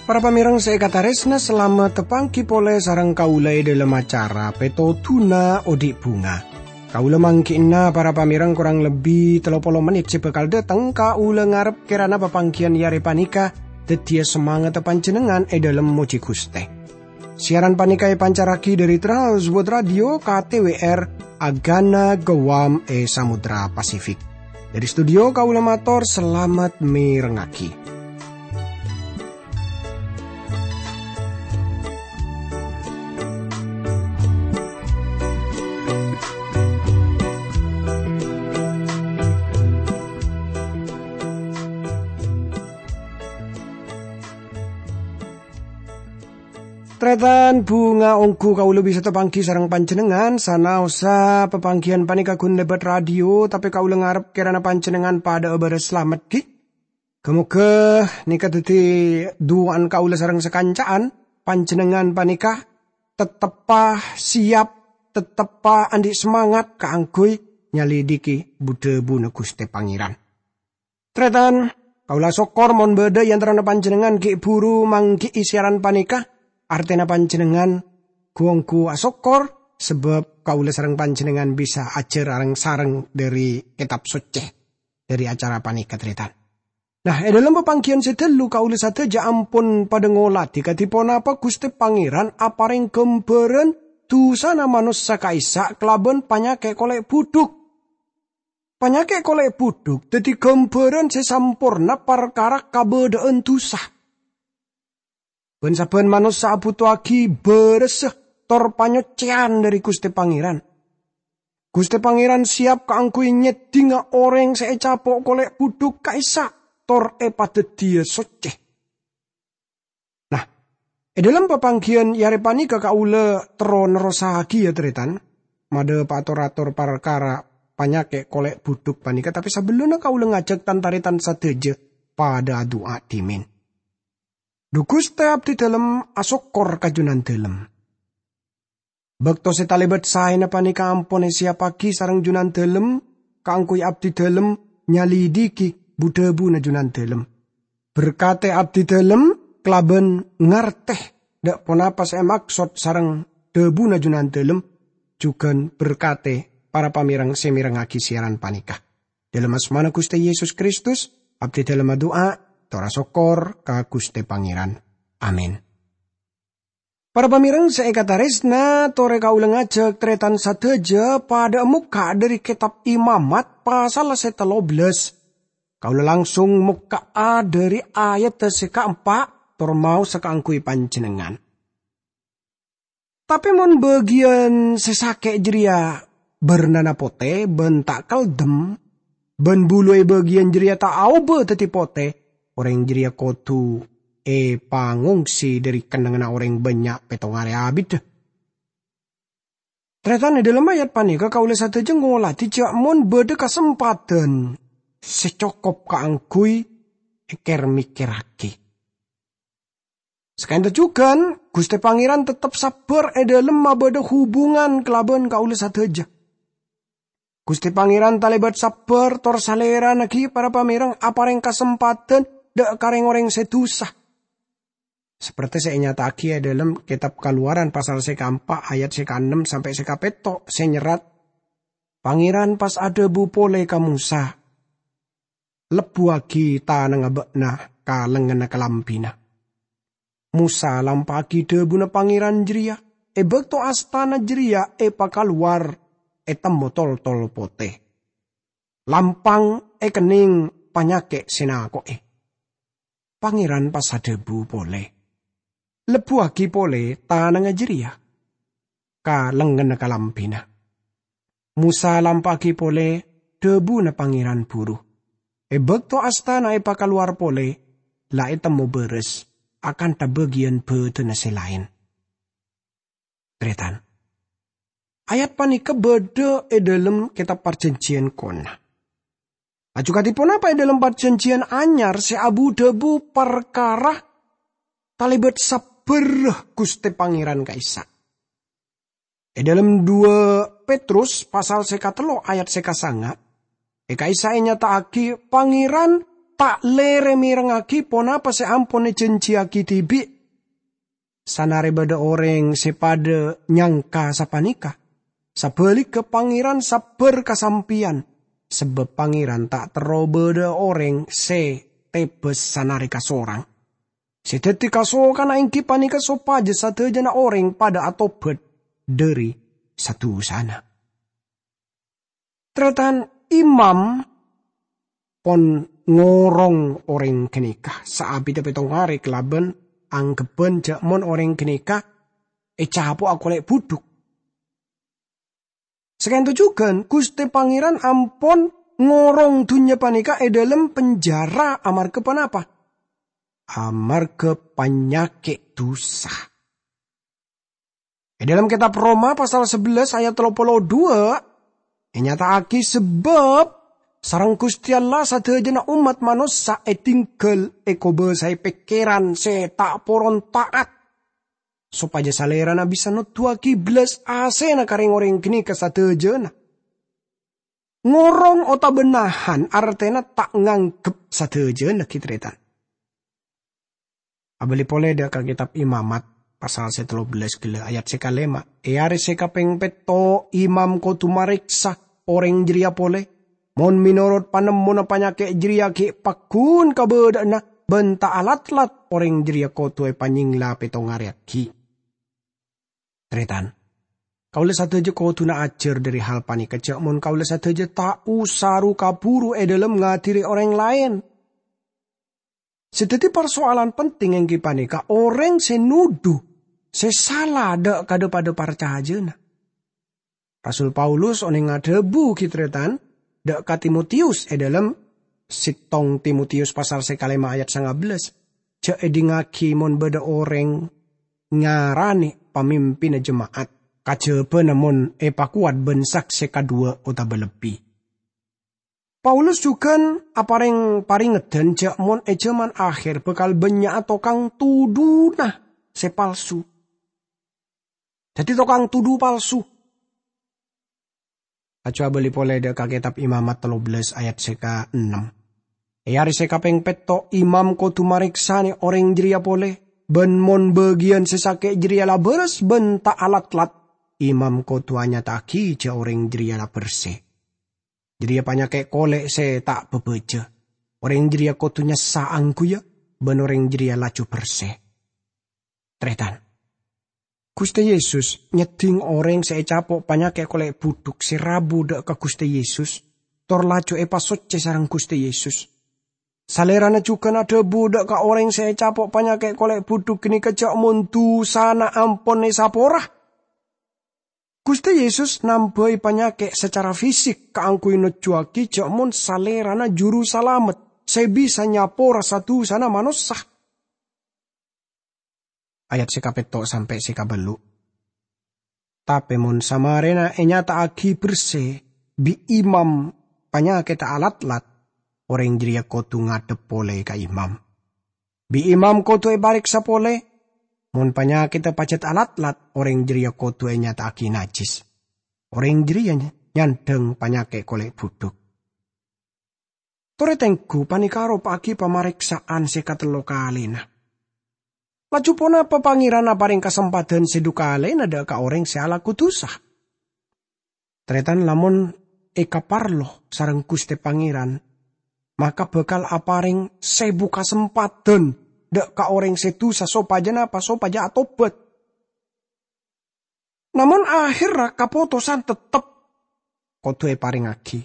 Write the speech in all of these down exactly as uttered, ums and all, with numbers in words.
Para pamèrèng sè èkatarèsna, salamet tapangghi polè sareng kaulâ è dhâlem acara Pètodhuna Odi' Bhunga. Kaulâ mangghi'na para pamèrèng korang lebbi tello polo mennit sè bhâkal dhâteng. Kaulâ ngarep kèrana papangghiyân è arè panèka dhâddhiyâ samangatta panjhennengngan è dhâlem mojhi Ghustè. Siaran panèka èpancarraghi dhâri Trans World Radio K T W R Agana Guam è Samudra Pasifik. Dhâri studio kaulâ mator salamet mèrengngaghi. Tarètan, bhunga ongghu kaulâ bisa tapangghi sareng panjhennengngan, sanaossa papangghiyân panèka ghun lèbât radio, tapè kaulâ ngarep kèrana panjhennengngan padhâ'â bârâs salamet, ghi. Ghâ-moghâ nèka dhâddhi du'ana kaulâ sareng sakanca'an, panjhennengngan panèka tetteppa siyap, tetteppa andi' samangat kaangghuy nyalidiki bu-dhâbuna Ghustè Pangèran. Tarètan, kaulâ asokkor mon bâdâ è antarana panjhennengngan ghi' bhuru mangghi'i siaran panèka, artèna panjhennengngan ghu-ongghu asokkor, sabâb kaulâ sareng panjhennengngan bisa ajhâr areng-sareng dhâri Kètab Soccè dhâri acara panèka, tarètan. Nah, è dhâlem papangghiyân sè ghâllu kaulâ sadhâjâ ampon padhâ ngolatè kadhi ponapa Ghustè Pangèran aparèng ghâmbhârân dhusana manossa ka'issa' kalabân panyakè' kolè' budhuk. Panyakè' kolè' budhuk dhâddhi ghâmbhârân sè samporna parkara kabâdâ'ân dhusa. Bân-sabbhân manossa abhutoaghi bârâssa tor panyoccèyan dhâri Ghustè Pangèran. Ghustè Pangèran siyap kaangghuy nyèddhingngâ orèng sè ècapo' kolè' budhuk ka'issa' tor èpadhâddhiyâ soccè. Nah, è dhâlem papangghiyân è arè panèka kaulâ terro nerrossaghi, yâ, tarètan, madhâpa'a tor-ator parkara panyakè' kolè' budhuk panèka, tapè sabellunna kaulâ ngajhâk tan-tarètan sadhâjâ padhâ adu'a dhimèn. Dhu Ghustè, abdhi dhâlem asokkor ka Jhunandhâlem. Bâkto sè talèbât saèna panèka ampon èsiyappaghi sareng Jhunandhâlem kaangghuy abdhi dhâlem nyalidiki bu-dhâbuna Jhunandhâlem. Berkatè abdhi dhâlem kalabân ngartè dâ' ponapa sè èmaksod sareng dhâbuna Jhunandhâlem, jhughân berkatè para pamèrèng sè mèrengngaghi siaran panèka. Dhâlem asmana Ghustè Yesus Kristus, abdhi dhâlem adu'a, tor asokkor ka Ghustè Pangèran. Amin. Para pamèrèng sè èkatarèsna, torè kaulâ ngajhâk tarètan sadhâjâ padhâ mokka' dhâri Kètab Imamat pasal sè tello bellâs. Kaulâ langsung mokka'a dhâri ayat sè kaempa', tor maosa kaangghuy panjhennengngan. Tapè mon bâgiyân sè sakè' jârèya bârnana potè bân ta' kaldem, bân bulu è bâgiyân jârèya ta' aobâ dhâddhi potè, orèng jârèya kodhu èpangongsi dhâri kennengnganna orèng bânnya' pèttong arè abiddhâ. Tarètan, è dhâlem ayat panèka kaulâ sadhâjâ ngolatè jâ' mon bâdâ kasempadhân sè cokop kaangghuy èkèr-mèkkèrraghi. Saka'dinto jhughân, Ghustè Pangèran tettep sabbhâr è dhâlem mabâdâ hubungan kalabân kaulâ sadhâjâ. Ghustè Pangèran talèbât sabbhâr tor Salèrana ghi para pamèrèng aparèng kasempadhân dâ' ka rèng-orèng sè dhusa. Sapertè sè ènyata'aghi è dhâlem Kètab Kalowaran pasal sè kaempa' ayat sè kaennem sampè' sè kapètto' sè nyerrat, Pangèran pas adhâbu polè ka Mosa, "Lebbhuwâghi tanangnga bâ'na ka lengngenna kalambhina." Mosa lampa'aghi dhâbuna Pangèran jârèya. È bâkto astana jârèya èpakalowar, ètemmo toltol potè. Lampang èkennèng panyakè' sè nako'è. Pangèran pas adhâbu polè, "Lebbhuwâghi polè tanangnga jârèya ka lengngenna kalambhina." Mosa lampa'aghi polè dhâbuna Pangèran buru. È bâkto astana èpakalowar polè, la ètemmo bârâs akantha bâgiyân bâdânna sè laèn. Tarètan, ayat panèka bâdâ è dhâlem Kètab Parjhânjhiyân Kona. Laju kadhi ponapa è dhâlem Parjhânjhiyân Anyar sè abu-dhâbu parkara talèbât sabbhâr bârâ Ghustè Pangèran ka'issa'. È dhâlem dua Petrus pasal sè katello ayat sè kasanga, è ka'issa' ènyata'aghi Pangèran ta' lèrè mèrengngaghi ponapa sè ampon èjhânjhiyaghi dhibi'. Sanarè bâdâ orèng sè padâ nyangka sapanèka, sabhâligghâ Pangèran sabbhâr ka sampèyan, sabâb Pangèran ta' terro bâdâ orèng sè tebâs sanarè kasorang. Sè dhâddhi kasokanna èngghi panèka sopajâ sadhâjâna orèng padâ atobhât dhâri sa-dusana. Tarètan, imam pon ngorong orèng ghânèka saabidhâ pètto arè kalabân angghebhân jhâ' mon orèng ghânèka ècapo'a kolè' budhuk. Saka'dinto jhughân, Ghustè Pangèran ampon ngorong dhunnya panèka è dhâlem penjara amarghâ ponapa? Amarghâ panyakè' dusa. È dhâlem Kètab Roma pasal sabellâs ayat tello polo dua, ènyata'aghi sabâb sareng Ghustè Allah sadhâjâna ommat manossa èdingghâl èkobâsaè pèkkèran sè ta' poron ta'at, sopajâ Salèrana bisa noduwâghi bellas asèna ka rèng-orèng ghânèka sadhâjâna. Ngorong otabâ nahan artèna ta' nganggep sadhâjâna, ghi, tarètan. Abâli polè dâ' ka Kètab Imamat, pasal sè tello bellâs ghellâ' ayat sè kalèma'. È arè sè kapèng pètto', imam kodhu marèksa orèng jârèya polè. Mon mènorot panemmona panyakè' jârèya ghi' pagghun kabâdâ'ânna bân ta' alat-lat, orèng jârèya kodhu èpanyèngla pètto arè aghi'. Tarètan, kaulâ sadhâjâ kodhuna ajhâr dhâri hal panèka, jhâ' mon kaulâ sadhâjâ ta' osa ru-kabhuru è dhâlem ngadhiri orèng laèn. Sè dhâddhi parsoalan penting èngghi panèka orèng sè nodhu sè sala dâ' ka dhâ-padâ parcajâna. Rasul Paulus onèng adhâbu, ghi, tarètan, dâ' ka Timotius è dhâlem settong Timotius pasal sè kalèma ayat sanga bellâs, "Jhâ' èdingngaghi mon bâdâ orèng ngaranè pamimpinna jema'at, kajhâbhâna mon èpakowat bân saksè kadhuwâ otabâ lebbi." Paulus jhughân aparèng parèngedhân jhâ' mon è jhâman akhèr bhâkal bânnya'a tokang todhuna sè palsu. Dhâddhi tokang todhu palsu. Laju abâli polè dâ' ka Kètab Imamat tello bellâs ayat sè kaennem. È arè sè kapèng pètto', imam kodhu marèksanè orèng jârèya polè, bân mon bâgiyân sè sakè' jârèya la bârâs bân ta' alat-lat, imam kodhu anyata'aghi jhâ' orèng jârèya la bersè. Jârèya panyakè' kolè' sè ta' bhâbhâjâ. Orèng jârèya kodhu nyassa angghuyyâ, bân orèng jârèya laju bersè. Tarètan, Ghustè Yesus nyeddhing orèng sè ècapo' panyakè' kolè' budhuk sè rabu dâ' ka Ghustè Yesus, tor laju èpasoccè sareng Ghustè Yesus. Salèrana jhughân adhâbu dâ' ka orèng sè ècapo' panyakè' kolè' budhuk ghânèka jhâ' mon dusana ampon èsapora. Ghustè Yesus nambhâi panyakè' sacara fisik kaangghuy nojjuwâghi jhâ' mon Salèrana Jurusalamet sè bisa nyapora sa-dusana manossa. Ayat sè kapètto' sampè' sè kabâllu'. Tapè mon samarèna ènyata'aghi bersè bi' imam panyakèdhâ alat-lat, orèng jârèya kodhu ngadhep polè ka imam. Bi' imam kodhu èparèksa polè. Mon panyakèdhâ pajhât alat-lat, orèng jârèya kodhu ènyata'aghi najjhis. Orèng jârèya nyandhâng panyakè' kolè' budhuk. Torè tengghu panèka aropa'aghi pamarèksa'an sè katello kalèna. Laju ponapa Pangèran aparèng kasempadhân sè dhu kalèna dâ' ka orèng sè alako dusa? Tarètan, lamon èkaparlo sareng Ghustè Pangèran, maka bhâkal aparèng sèbu kasempadhân dâ' ka orèng sè dusa sopajâ napa? Sopajâ atobhât. Namong ahèrra kapotosan tettep kodhu èparèngngaghi.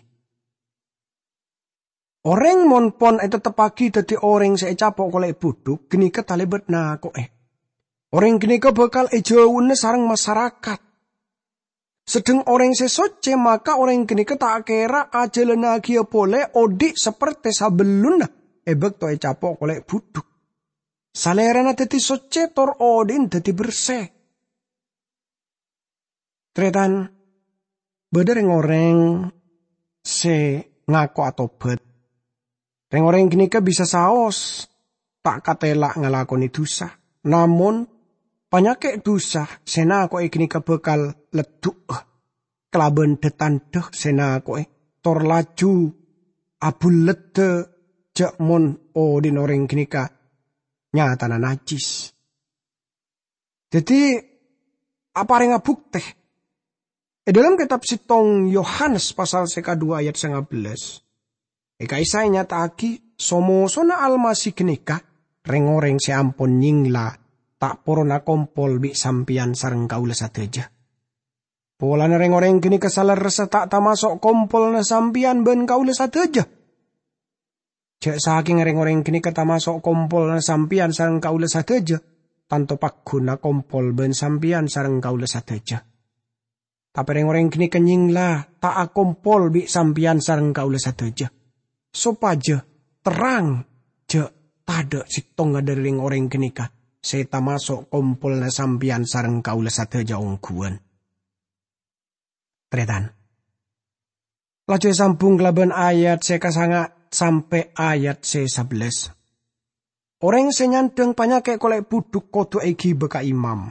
Orèng mon pon ètetteppaghi dhâddhi orèng sè ècapo' kolè' budhuk, ghânèka talèbât nako'è. Orèng ghânèka bhâkal èjhâuna sareng masarakat. Sedheng orèng sè soccè, maka orèng ghânèka ta' kèra ajhâlânnaghi polè odi' sapertè sabellunna è bâkto ècapo' kolè' budhuk. Salèrana dhâddhi soccè tor odi'na dhâddhi bersè. Tarètan, bâdâ rèng-orèng sè ngako atobhât. Rèng-orèng ghânèka bisa saos ta' katela' ngalakonè dusa, namong Panyakè' dusa sè nako'è ghânèka bhâkal leddhu'â kalabân dâ-tandhâ sè nako'è, tor laju abhulleddhâ jhâ' mon odhi'na orèng ghânèka nyatana najjhis. Dhâddhi, aparènga buktè. È dhâlem Kètab Sèttong Yohanes pasal sè kaduwâ ayat sangabellâs, è ka'issa' ènyata'aghi so-mosona Almasih ghânèka rèng-orèng sè ampon nyèngla ta' poron akompol bi' sampèyan sareng kaulâ sadhâjâ. Polana rèng-orèng ghânèka salerressa ta' tamaso' kompolanna sampèyan bân kaulâ sadhâjâ. Jhâ' sakènga rèng-orèng ghânèka tamaso' kompolanna sampèyan sareng kaulâ sadhâjâ, tanto paggun akompol bân sampèyan sareng kaulâ sadhâjâ. Tapè rèng-orèng ghânèka nyèngla ta' akompol bi' sampèyan sareng kaulâ sadhâjâ, sopajâ terrang jhâ' tadâ' sèttonga dhâri rèng-orèng ghânèka sè tamaso' kompolanna sampèyan sareng kaulâ sadhâjâ ongghuwân. Tarètan. Laju èsambhung kalabân ayat sè kasanga' sampè' ayat sè sabellâs. Orèng sè nyandhâng panyakè' kolè' budhuk kodhu èghibâ ka imam.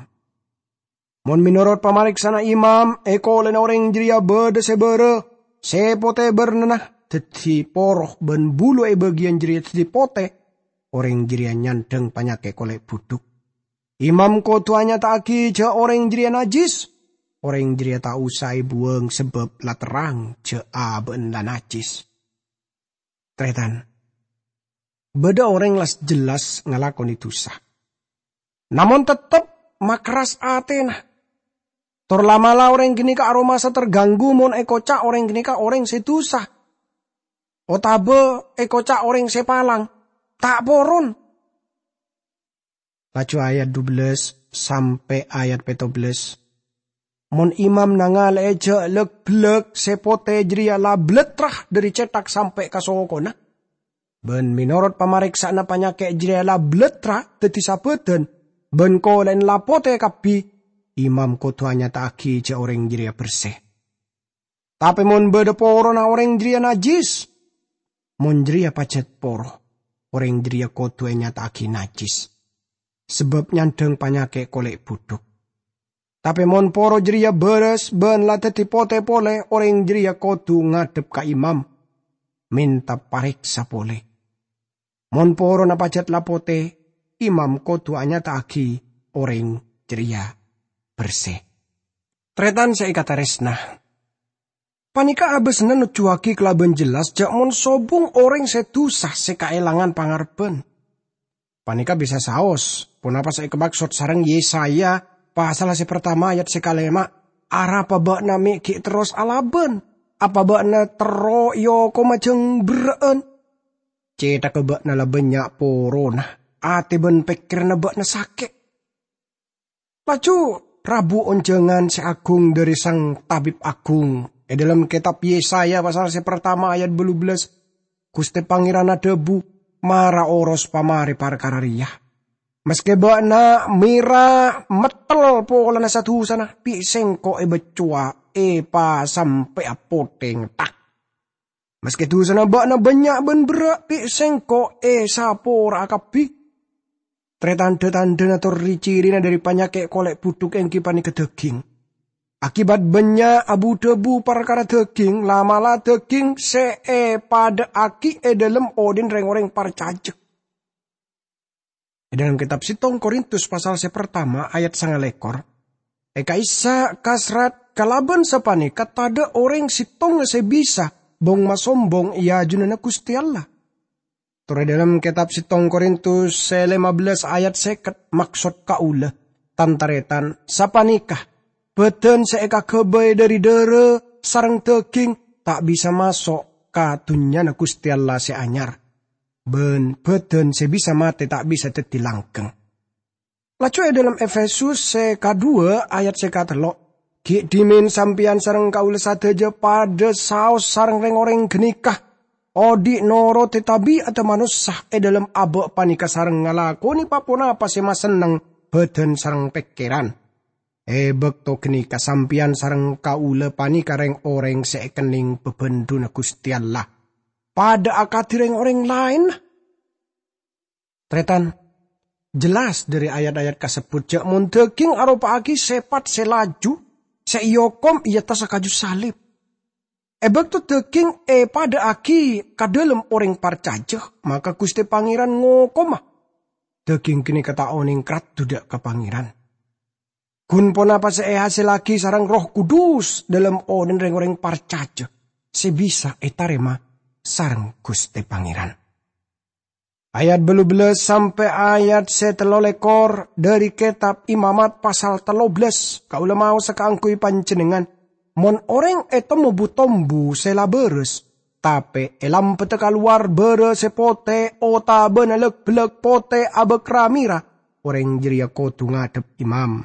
Mon mènorot pamarèksana imam, è kolèna orèng jârèya bâdâ sè bârâ, sè potè bârnana, dhâddhi poro bân bulu è bâgiyân jârèya dhâddhi potè, orèng jârèya nyandhâng panyakè' kolè' budhuk. Imam kodhu anyata'aghi jhâ' orèng jârèya najjhis. Orèng jârèya ta' osa èbuwâng sabâb la terrang jhâ' abâ'na la najjhis. Tarètan. Bâdâ orèng la jelas ngalakonè dusa. Namong tettep makerras atèna. Tor la'-mala' orèng ghânèka aromasa terganggu mon èkoca' orèng ghânèka orèng sè dusa. Otabâ èkoca' orèng sè palang. Ta' poron. Laju ayat dubellâs sampè' ayat pèttobellâs. Mon imam nangalè'è jhâ' lak-bellak sè potè jârèya la blattra dhâri cèthak sampè' ka sokona, bân mènorot pamarèksa'anna panyakè' jârèya la blattra dhâddhi sabâdân, bân kolè'na la potè kabbhi, imam kodhu anyata'aghi jhâ' orèng jârèya bersè. Tapè mon bâdâ porona orèng jârèya najjhis. Mon jârèya pajhât poro, orèng jârèya kodhu ènyata'aghi najjhis, sabâb nyandhâng panyakè' kolè' budhuk. Tapè mon poro jârèya bârâs bân la dhâddhi potè polè, orèng jârèya kodhu ngadhep ka imam, mènta parèksa polè. Mon porona pajhât la potè, imam kodhu anyata'aghi orèng jârèya bersè. Tarètan sè èkatarèsna, panèka abâsna nojjuwâghi kalabân jelas jhâ' mon sobung orèng sè dusa sè kaèlangan pangarebbhân. Panèka bisa saos ponapa sè èkamaksod sareng Yesaya pasal sè partama ayat sè kalèma', "Arapa bâ'na mè' ghi' terros alabân? Apa bâ'na terro èokoma jâng berrâ'ân? Cèthagghâ bâ'na la bânnya' porona, atè bân pèkkèranna bâ'na sakè'." Laju rabu onjhângan sè agung dhâri Sang Tabib Agung. È dhâlem kètab Yesaya pasal sè partama ayat bâllu bellâs, Ghustè Pangèran adhâbu, "Mara oros pamarè parkara rèya. Maskè bâ'na mèra mettel polana sa-dusana, bi' Sèngko' èbâccowa èpasampè'a potèng, ta'. Maskè dusana bâ'na bânnya' bân berrâ', bi' Sèngko' èsapora'a kabbhi." Tarètan, dâ-tandhâna tor ri-cirina dhâri panyakè' kolè' budhuk èngghi panèka dhâghing. Akibat bânnya' abu-dhâbu parkara dhâghing, la'-mala' dhâghing sè èpadâ'aghi è dhâlem odhi'na rèng-orèng parcajâ. È dhâlem kètab Sèttong Korintus pasal sè partama ayat sangalèkor, è ka'issa' kasrat kalabân sapanèka tadâ' orèng sèttonga sè bisa bhong-masombhong è ajunanna Ghustè Allah. Tor è dhâlem kètab Sèttong Korintus sè lèma bellâs ayat sèket, maksod kaulâ, tan-tarètan, sapanèka, bhâdhân sè èkaghâbây dhâri dhârâ sareng dhâghing ta' bisa maso' ka Dhunnyana Ghustè Allah sè anyar, bân bhâdhân sè bisa matè ta' bisa dhâddhi langghâng. Laju è dhâlem Efesus sè kaduwâ ayat sè katello', "Ghi' dhimèn sampèyan sareng kaulâ sadhâjâ padâ saos sareng rèng-orèng ghânèka, odhi' norote tabi'adda manossa è dhâlem abâ' panèka sareng ngalakonè pa-ponapa sè masenneng bhâdhân sareng pèkkèran. È bâkto ghânèka sampèyan sareng kaulâ panèka rèng-orèng sè èkennèng bhâbhândhuna Ghustè Allah, padâ akadhi rèng-orèng laènna." Tarètan, Jelas dhâri ayat-ayat kasebbhut jhâ' mon dhâghing aropa'aghi sèpat sè laju sè èokom è attas kaju salib. È bâkto dhâghing èpadâ'âghi ka dhâlem orèng parcajâ, maka Ghustè Pangèran ngokoma. Dhâghing ghânèka ta' onèng karaddhu dâ' ka Pangèran. Ghun ponapa sè èhasillaghi sareng Erroh Kudus dhâlem onèn rèng-orèng parcajâ sè bisa ètarèma sareng Ghustè Pangèran. Ayat bâllu bellâs sampè' ayat sè tello lèkor dhâri Kètab Imamat pasal tello bellâs, kaulâ maosa kaangghuy panjhennengngan, mon orèng ètemmo bu-tombu sè la bârâs, tapè èlampeddhâ kalowar bârâ sè potè otabâna lak-bellak potè abâkra mèra, orèng jârèya kodhu ngadhep imam.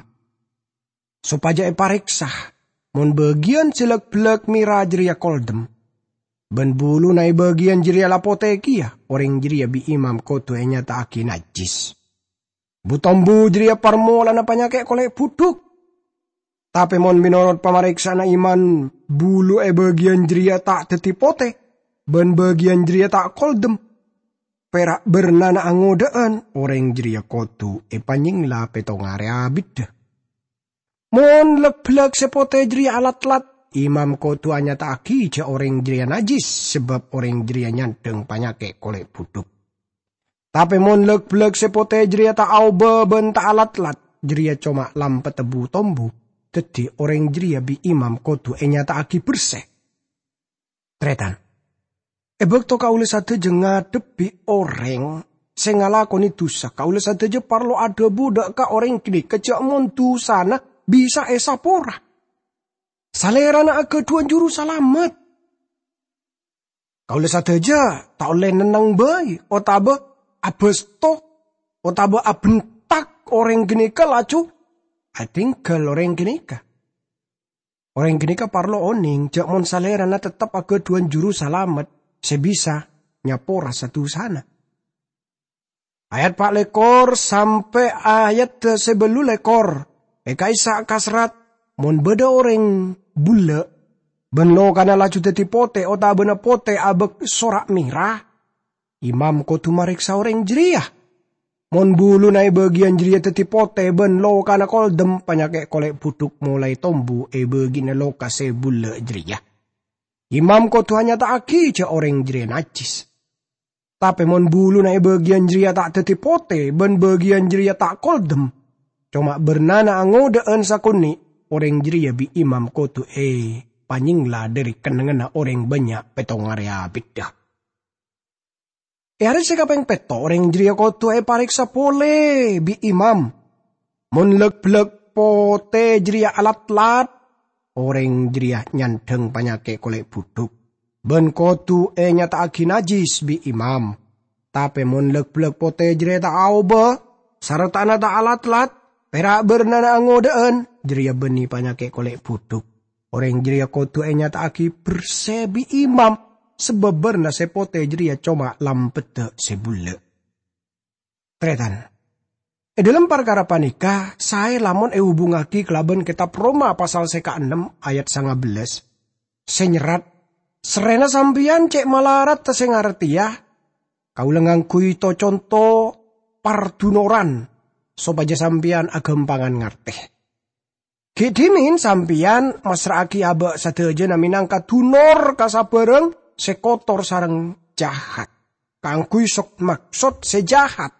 Sopajâ èparèksa mon bâgiyân sè lak-bellak mèra jârèya koldem, bân buluna è bâgiyân jârèya la potè kèya, orèng jârèya bi' imam kodhu ènyata'aghi najjhis. Bu-tombu jârèya parmolana panyakè' kolè' budhuk. Tapè mon mènorot pamarèksaanna imam, bulu è bâgiyân jârèya ta' dhâddhi potè, bân bâgiyân jârèya ta' koldem, pèra' bârnana angodâ'ân, orèng jârèya kodhu èpanyèngla pèttong arè abiddhâ. Mon lak-bellak sè potè jârèya alatlat, imam kodhu anyata'aghi jâ' orèng jârèya najjhis, sabâb orèng jârèya nyandhâng panyakè' kolè' budhuk. Tapè mon lak-bellak sè potè jârèya ta' aobâ bân ta' alatlat, jârèya coma lampeddhâ bu-tombu, dhâddhi orèng jârèya bi' imam kodhu ènyata'aghi bersè. Tarètan, è bâkto kaulâ sadhâjâ ngadhebbhi orèng sè ngalakonè dusa, kaulâ sadhâjâ parlo adhâbu dâ' ka orèng ghânèka jâ' mon dusana bisa èsapora. Salèrana aghâdhuwân juru salamet. Kaulâ sadhâjâ ta' ollè nenneng bhâi, otabâ abâsto, otabâ abhentak orèng ghânèka laju atèngghâl orèng ghânèka. Orèng ghânèka parlo onèng jâ' mon salèrana tettep aghâdhuwân juru salamet sè bisa nyapora sa-dusana. Ayat pa' lèkor sampè' ayat sè bâllu lèkor. È ka'issa' kaserrat, mon bâdâ orèng bulâ', bân lokana laju dhâddhi potè otabâna potè abâk sora' mèra, imam kodhu marèksa orèng jârèya. Mon buluna è bâgiyân jârèya dhâddhi potè bân lokana koldem, panyakè' kolè' budhuk molaè tombu è bâgiyânna loka sè bulâ' jârèya. Imam kodhu anyata'aghi jâ' orèng jârèya najjhis. Tapè mon buluna è bâgiyân jârèya ta' dhâddhi potè bân bâgiyân jârèya ta' koldem, coma bârnana angodâ'ân sakonè', orèng jârèya bi' imam kodhu èpanyèngla dhâri kennengnganna orèng bânnya' pèttong arè abiddhâ. È arè sè kapèng pètto' orèng jârèya kodhu èparèksa polè bi' imam. Mon lak-bellak potè jârèya alatlat, orèng jârèya nyandhâng panyakè' kolè' budhuk, bân kodhu ènyata'aghi najjhis bi' imam. Tapè mon lak-bellak potè jârèya ta' aobâ, sartana ta' alatlat, pèra' bârnana angodâ'ân, jârèya bânnè panyakè' kolè' budhuk. Orèng jârèya kodhu ènyata'aghi bersè bi' imam, sabâb bârna sè potè jârèya coma lampeddhâ sè bulâ'. Tarètan, è dhâlem parkara panèka saè lamon èhubungngaghi kalabân Kètab Roma pasal sè kaennem ayat sanga bellâs, sè nyerrat, "Sarrèna sampèyan cè' malarat sè ngartèya, kaulâ ngangghuy to-conto pardunoran sopajâ sampèyan aghâmpangan ngartè." Ghi' dhimèn sampèyan massra'aghi abâ' sadhâjâna mènangka dunor ka sabârâng sè kotor sareng jahat, kaangghuy sok-maksod sè jahat.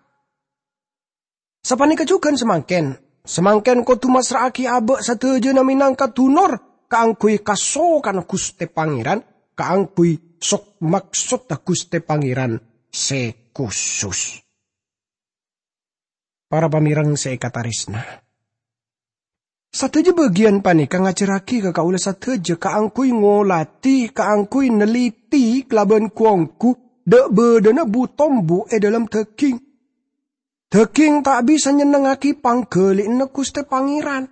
Sapanèka jhughân samangkèn, samangkèn kodhu massra'aghi abâ' sadhâjâna mènangka dunor kaangghuy kasokanna Ghustè Pangèran, kaangghuy sok-maksodda Ghustè Pangèran sè kusus. Para pamèreng sè èkatarèsna, sadhâjâ bâgiyân panèka ngajhârraghi ka kaulâ sadhâjâ kaangghuy ngolatè, kaangghuy nalètè kalabân ghu-ongghu dâ'-bâdâna bu-tombu è dhâlem dhâghing. Dhâghing ta' bisa nyennengngaghi pangghâli'ânna Ghustè Pangèran.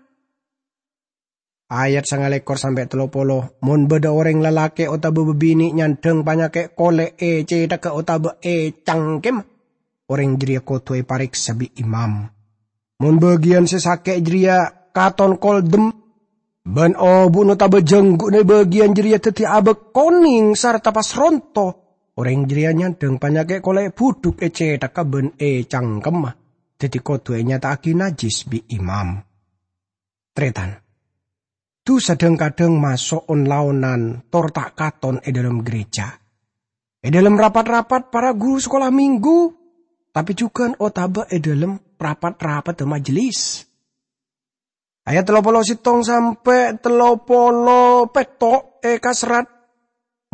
Ayat sanga lèkor sampè' tello polo, "Mon bâdâ orèng lalakè' otabâ bâbinè' nyandhâng panyakè' kolè' è cèthagghâ otabâ è cangkemma, orèng jârèya kodhu èparèksa bi' imam. Mon bâgiyân sè sakè' jârèya katon koldem, bân obu'na otabâ jhângghu'na è bâgiyân jârèya dhâddhi abâk konèng sarta pas ronto, orèng jârèya nyandhâng panyakè' kolè' budhuk è cèthagghâ bân è cangkemma. daddi kodhu ènyata'aghi najjhis bi' imam. Tarètan, dusa dhâng-kadhâng maso' on-laonan tor ta' katon è dhâlem gereja. È dhâlem rapat-rapat para guru sakola minggu, tapè jhughân otabâ è dhâlem rapat-rapatta majelis. Ayat tello polo sèttong sampè' tello polo pètto' èkaserrat,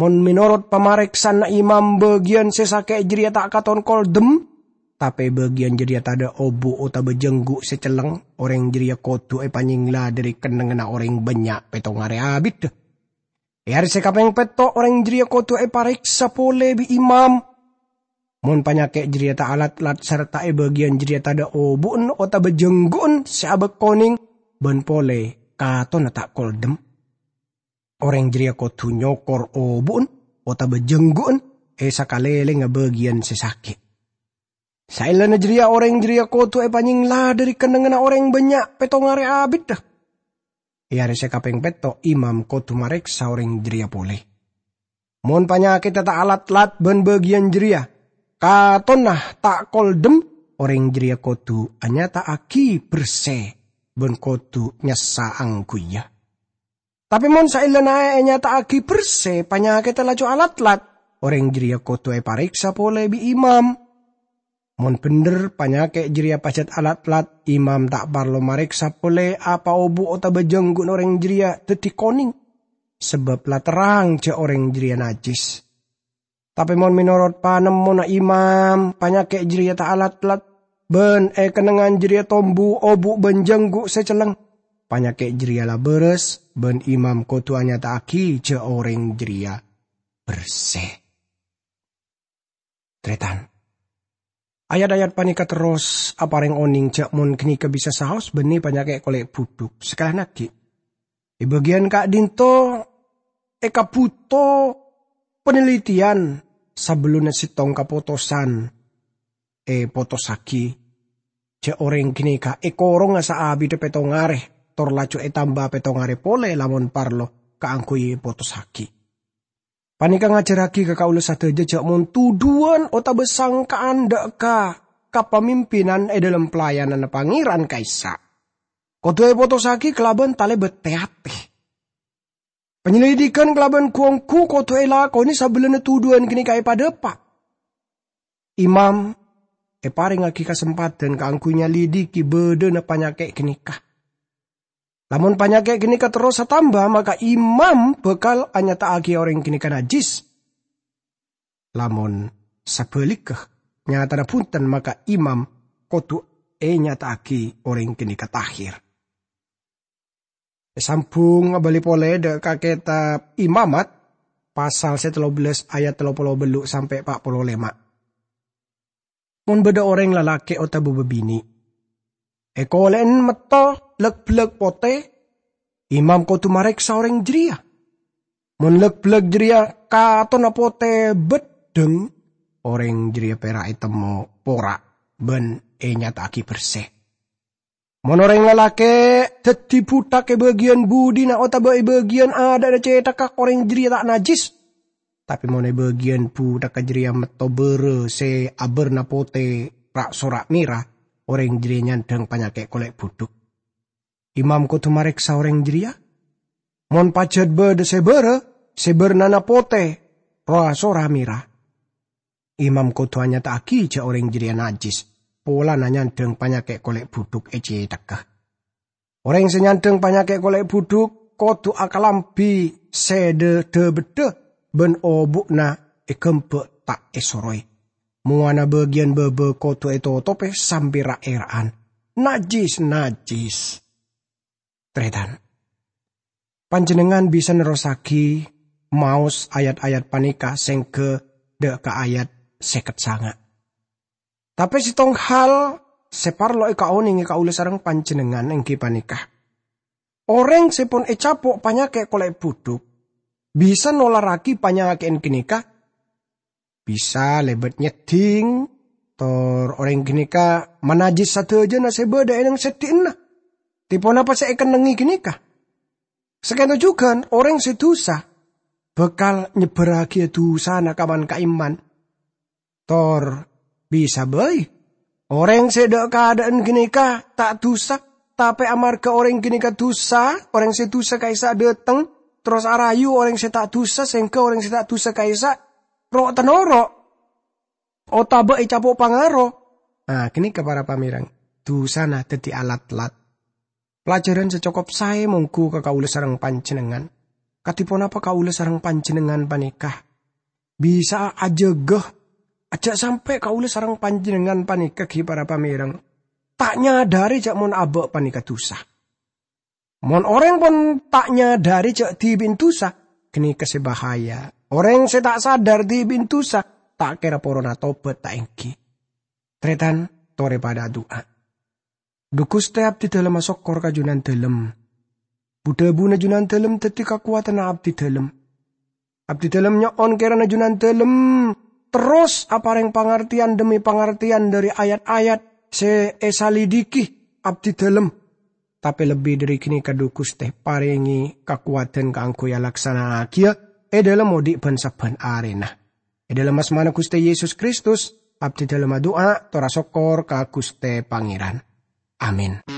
"Mon mènorot pamarèksanna imam bâgiyân sè sakè' jârèya ta' katon koldem, tapè bâgiyân jârèya tadâ' obu' otabâ jhângghu' sè celleng, orèng jârèya kodhu èpanyèngla dhâri kennengnganna orèng bânnya' pèttong arè abiddhâ. È arè sè kapèng pètto' orèng jârèya kodhu èparèksa polè bi' imam. Mon panyakè' jârèya ta' alat-lat sarta è bâgiyân jârèya tadâ' obu'en otabâ jhângghu'en sè abâk konèng bân polè katonna ta' koldem, orèng jârèya kodhu nyokor obu'en otabâ jhângghu'en è sakalèlèngnga bâgiyân sè sakè'. Saellana jârèya orèng jârèya kodhu èpanyèngla dhâri kennengnganna orèng bânnya' pèttong arè abiddhâ. È arè sè kapèng pètto', imam kodhu marèksa orèng jârèya polè. Mon panyakèdda ta' alat-lat bân bâgiyân jârèya katonna ta' koldem, orèng jârèya kodhu anyata'aghi bersè bân kodhu nyassa angghuyyâ. Tapè mon saellana ènyata'aghi bersè, panyakèdda laju alat-lat, orèng jârèya kodhu èparèksa polè bi' imam. Mon bhendher panyakè' jârèya pajhât alat-lat, imam ta' parlo marèksa polè apa obu' otabâ jhângghu'na orèng jârèya dhâddhi konèng, sabâb la terrang jâ' orèng jârèya najjhis. Tapè mon mènorot panemmona imam, panyakè' jârèya ta' alat-lat, bân è kennengngan jârèya tombu obu' bân jhângghu' sè celleng, panyakè' jârèya la bârâs, bân imam kodhu anyata'aghi jâ' orèng jârèya bersè." Tarètan, ayat-ayat panèka terros aparèng onèng jâ' mon ghânèka bisa saos bânnè panyakè' kolè' budhuk. Sakalèyan aghi', è bâgiyân ka'dinto èkabhuto panelitèyan sabellunna sèttong kapotosan èpotossaghi. Jâ' orèng ghânèka èkoronga saabiddhâ pèttong arè, tor laju ètamba pèttong arè polè lamon parlo kaangghuy èpotossaghi. Panèka ngajhârraghi ka kaulâ sadhâjâ jâ' mon tudhuwân otabâ sangka'an dâ' ka kapamimpinan è dhâlem pelayananna Pangèran ka'issa', kodhu èpotossaghi kalabân talèbât tè-atè. Panyelidikan kalabân ghu-ongghu kodhu èlakonè sabellunna tudhuwân ghânèka èpadâpa'. Imam èparèngaghi kasempadhân kaangghuy nyalidiki bâdâna panyakè' ghânèka. Lamon panyakè' ghânèka terros atamba, maka imam bhâkal anyata'aghi orèng ghânèka najjhis. Lamon sabhâligghâ, nyatana bhunten, maka imam kodhu ènyata'aghi orèng ghânèka tahir. Èsambhung abâli polè dâ' ka kètab Imamat, pasal sè tello bellâs ayat tello polo bâllu' sampè' pa' polo lèma'. Mon bâdâ orèng lalakè' otabâ bâbinè' èkolè'en metto lèk-bellèk potè, imam kodhu marèksa orèng jârèya. Mon lèk-bellèk jârèya katonna potè bhâddhâng, orèng jârèya pèra' ètemmo pora' bân ènyata'aghi bersè. Mon orèng lalakè' dhâddhi buthak è bâgiyân budina otabâ è bâgiyân adâ'na cèthagghâ, orèng jârèya ta' najjhis. Tapè mon è bâgiyân buthakka jârèya metto bârâ sè abârna potè ra'-sora' mèra, orèng jârèya nyandhâng panyakè' kolè' budhuk. Imam kodhu marèksa orèng jârèya. Mon pajhât bâdâ sè bârâ, sè bârnana potè, ra'-sora' mèra, imam kodhu anyata'aghi jâ' orèng jârèya najjhis, polana nyandhâng panyakè' kolè' budhuk è cèthagghâ. Orèng sè nyandhâng panyakè' kolè' budhuk kodhu akalambhi sèdhâ dhâ-beddhâ bân obu'na èghâmbâ' ta' èsoroè. Mowana bâgiyân bâbâ kodhu ètotobhi sambi ra'-èra'an. Najjhis, najjhis! Tarètan, panjhennengngan bisa nerrossaghi maos ayat-ayat panèka sèngghâ dâ' ka ayat sèket sanga'. Tapè sèttong hal sè parlo èkaonèngè kaulâ sareng panjhennengngan èngghi panèka, orèng sè pon ècapo' panyakè' kolè' budhuk bisa nolarraghi panyakè'en ghânèka bisa lèbât nyeddhing, tor orèng ghânèka manajjhis sadhâjâna sè bâdâ è nang seddhi'na. Tè ponapa sè èkennengngè ghânèka? Sakènto jhughân, orèng sè dusa bhâkal nyebbhârraghi dusana ka man-ka'imman, tor bisa bhâi Orèng sè dâ'-kadâ'ân ghânèka ta' dusa, tapè amarghâ orèng ghânèka dusa, orèng sè dusa ka'issa' dâteng, terros arayu orèng sè ta' dusa, sehingga orèng sè ta' dusa ka'issa' ro'-tanoro', otabâ ècapo' pangaro. Ah, ghânèka para pamèreng, dusana dhâddhi alat-lat. Pelajaran sè cokop saè mongghu ka kaulâ sareng panjhennengngan. Kadhi ponapa kaulâ sareng panjhennengngan panèka bisa'a ajâgâ, ajjhâ' sampè' kaulâ sareng panjhennengngan panèka ghi' para pamèreng ta' nyadhâri jâ' mon abâ' panèka dusa. Mon orèng pon ta' nyadhâri jâ' dhibi'na dusa, ghânèka sè bahaya. Orèng sè ta' sadar dhibi'na dusa, ta' kèra porona tobat ta' èngghi. Tarètan, torè padâ adu'a. Dhu Ghustè, abdhidhâlem asokkor ka Jhunandhâlem. Bu-dhâbuna Jhunandhâlem dhâddhi kakowadhânna abdhidhâlem. Abdhidhâlem nyo'on kèrana Jhunandhâlem terros aparèng pangartèyan dhemmi pangartèyan dhâri ayat-ayat sè èsalidiki abdhidhâlem. Tapè lebbi dhâri ghânèka, dhu Ghustè, parèngè kakowadhân kaangghuy alaksana'aghiyâ è dhâlem odi' bân-sabbhân arèna. È dhâlem asmana Ghustè Yesus Kristus, abdhidhâlem adu'a, tor asokkor ka Ghustè Pangèran. Amin.